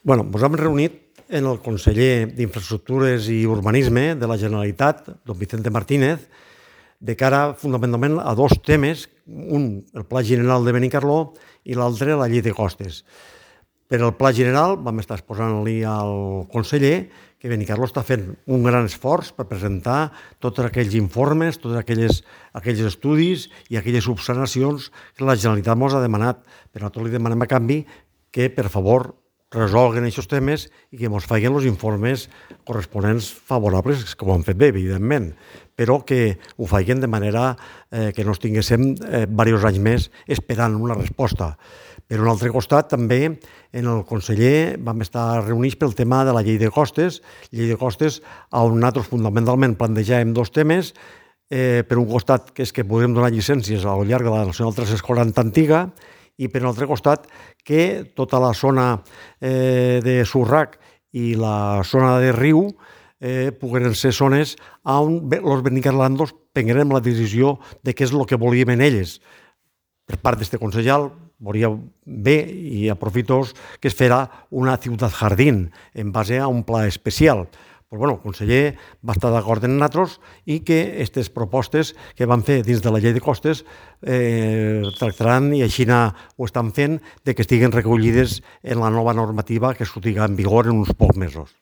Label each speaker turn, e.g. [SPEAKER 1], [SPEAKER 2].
[SPEAKER 1] Ens hem reunit en el conseller d'Infraestructures i Urbanisme de la Generalitat, don Vicente Martínez, de cara fundamentalment a dos temes, un, el Pla General de Benicarló, i l'altre, la Llei de Costes. Per al Pla General vam estar exposant-li al conseller que Benicarló està fent un gran esforç per presentar tots aquells informes, tots aquells estudis i aquelles subsanacions que la Generalitat ens ha demanat. Per nosaltres li demanem a canvi que, per favor, resolguen aquests temes i que ens facin els informes corresponents favorables, que ho han fet bé, evidentment, però que ho facin de manera que no estiguéssim diversos anys més esperant una resposta. Per un altre costat, també, en el conseller vam estar reunits pel tema de la llei de costes, on nosaltres fundamentalment plantejàvem dos temes. Per un costat, que és que podem donar llicències al llarg de la Nacional 340 antiga, i per un altre costat, que tota la zona de Surrac i la zona de Riu pogueren ser zones on els benicarlandos prengueren la decisió de què és el que volien elles. Per part d'este consellal, veuria bé i aprofito que es farà una ciutat jardín en base a un pla especial. El conseller va estar d'acord amb nosaltres i que aquestes propostes que van fer dins de la llei de costes tractaran, i així ho estan fent, de que estiguen recollides en la nova normativa que sortirà en vigor en uns pocs mesos.